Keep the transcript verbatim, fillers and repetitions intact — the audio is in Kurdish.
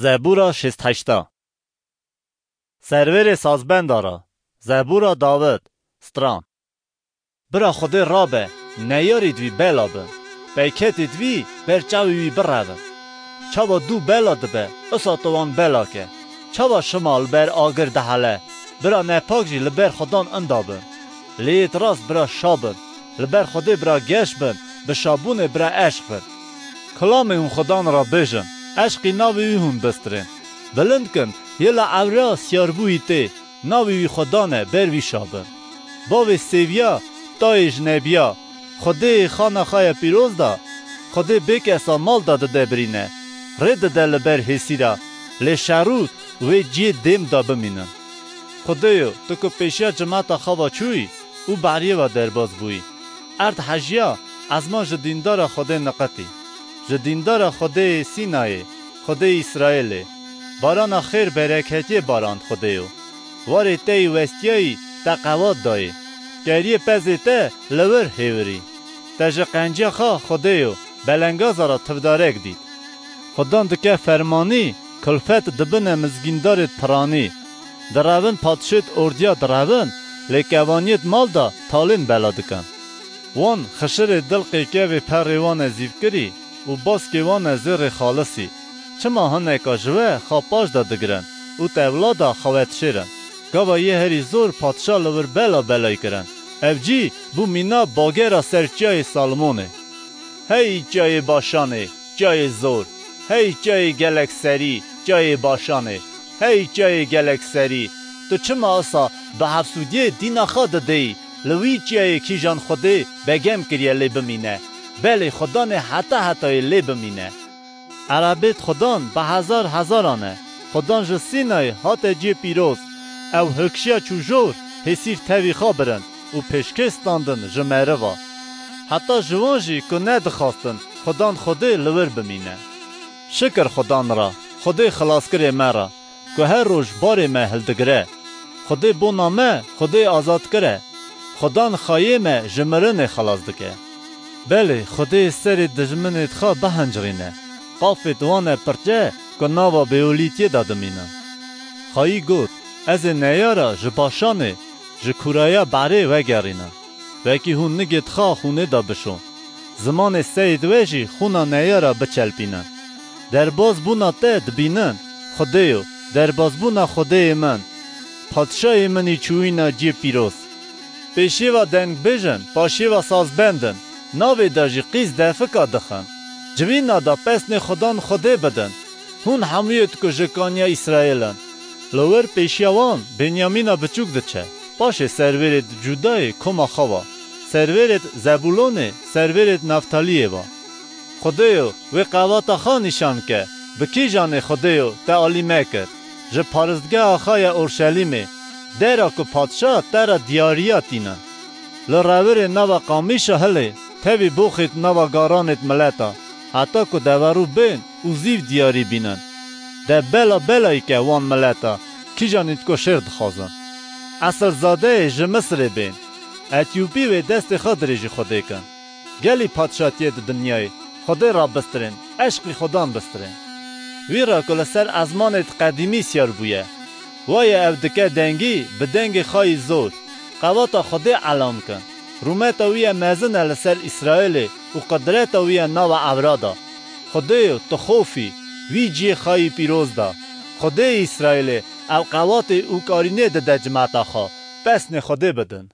Zebûra şêst heşta. Servêrê sazbenda ra. Zebûra Dawid. Stran. Bira Xwedê rabe, neyarî di wî bela bin. Peyketê di wî ber çavê wî birevin. Çawa dû bela dibe, usa tu wan bela ke. Çawa şima li ber agir dihele, bira nepak jî li ber Xudan inda bin. Lê yêt rast bira şa bin, li ber Xwedê bira geş bin, bi şabûnê bira eşq bin. Kilamê hûn Xudan ra bêjin, eşqî navê wî hûn bistirên. Bilind kin, yê li ewra siyarbûyî tê, navê wî Xudan e, ber wî şa bin. Bavê sêviya, tayê ji nebiya, Xwedê yê xana xwe ye pîroz da, Xwedê bêkesa mal da dide birîne, rê dide li ber hêsîra, lê şerû wê ciyê dêm da bimînin. Xwedêyo, tu ku pêşiya cimeta xwe ve çûyî û beriyê ve derbas bûyî. Erd hejiya, ezman ji dîndara Xwedê niqitî. Ji dîndara Xwedêyê Sînayê, Xwedêyê Îsraîlê. Barana xêr bereketiyê barand Xwedêyo. Warê te yî westiyayî te qewat dayê. Keriyê pezê te li wir hêvirî. Te ji qenciya xwe Xwedêyo, belengaza ra tivdarek dît. Xudan dike fermanî, kulfet dibine mizgîndarêd piranî. Direvin padşêd ordiya direvin, lê kevaniyêd mal da talên bela dikin. Wan xişirê dilqê kevê perê wan e zîvkirî û baskê wan e zêrê xalisî. Çima hineka ji we xwe paş de digirin û tevlada xwe ve dişêrin? Gava yê herî zor padşa li wir bela belay kirin. Ev cî bû mîna bagera ser çiyayê Salmonê. Hey çiyayê Başanê, çiyayê zor! Hey çiyayê gelek serî, çiyayê Başanê! Hey çiyayê gelek serî! Tu çima esa bi hefsûdiyê dîna xwe dideyî, li wî çiyayê kîjan Xwedê begem kiriye lê bimîne? Belê, Xudanê heta hetayê lê bimîne. Erebêt Xudan bi hezar hezaran e. Xudan ji Sînayê hate ciyê pîroz. Ew hilkişiya çû jor, hêsîr tevî xwe birin û pêşkê standin ji meriva. Heta ji wan jî ku nedixwastin Xudan Xwedê li wir bimîne. Şikir Xudan ra, Xwedê xilaskirê me ra, ku her roj barê me hildigire. Xwedê bona me, Xwedê azadkir e. Xudan xayê me ji mirinê xilas dike. Belê, Xwedê serê dijminêd xwe bihincirîne. Qafêd wan e pirçe ku nava bêolîtiyê de dimînin. Xayî got, ez ê neyara ji Başanê, ji kûraya Berê vegerînim. Wekî hûn nigêd xwe xûnê de bişon. Zimanê seyêd we jî xûna neyara biçelpînin. Derbazbûna te dibînin, Xwedêyo, derbazbûna Xwedêyê min. Padşayê min î çûyîna ciyê pîroz. Pêşiyê ve dengbêjin, paşiyê ve sazbendin, navê de jî qîz defika dixin. Civîna de pesnê Xudan Xwedê bidin. Hûn hemûyêd ku ji kaniya Îsraêl in. Li wir pêşiya wan Benyamîna biçûk diçe. Paşê servêrêd Cûdayê koma xwe ve. Servêrêd Zebûlonê, servêrêd Neftaliyê ve. Xwedêyo, wê qewata xwe nîşan ke, bi kîjanê Xwedêyo te alî me kir. Ji paristgeha xwe ye Orşelîmê, dera ku padşa te re diyariya tînin. Li revirê nava qamîşa hilê, tevî boxêd nava garanêd mileta, heta ku deverû bên û zîv diyarî bînin. De bela belayî ke wan mileta, kîjanîd ku şêr dixwazin. Esilzadeyê ji Misirê bên, Etîopî wê destê xwe dirêjî Xwedê kin. Gelî padşatiyêd dinyayê Xwedê ra bistirên, eşqî Xudan bistirên. Wî ra ku li ser ezmanêd qedîmî siyar bûye. Waye ew dike dengî bi dengê xwe yî zor. Qewata Xwedê elan kin. Rûmeta wî ye mezin e li ser Îsraêlê û qidreta wî ye nava ewra de. Xwedêyo, tu xof î, wî ciyê xwe yî pîroz da. Xwedêyê Îsraêlê, ew qewatê û karînê dide cimeta xwe, pesnê Xwedê bidin.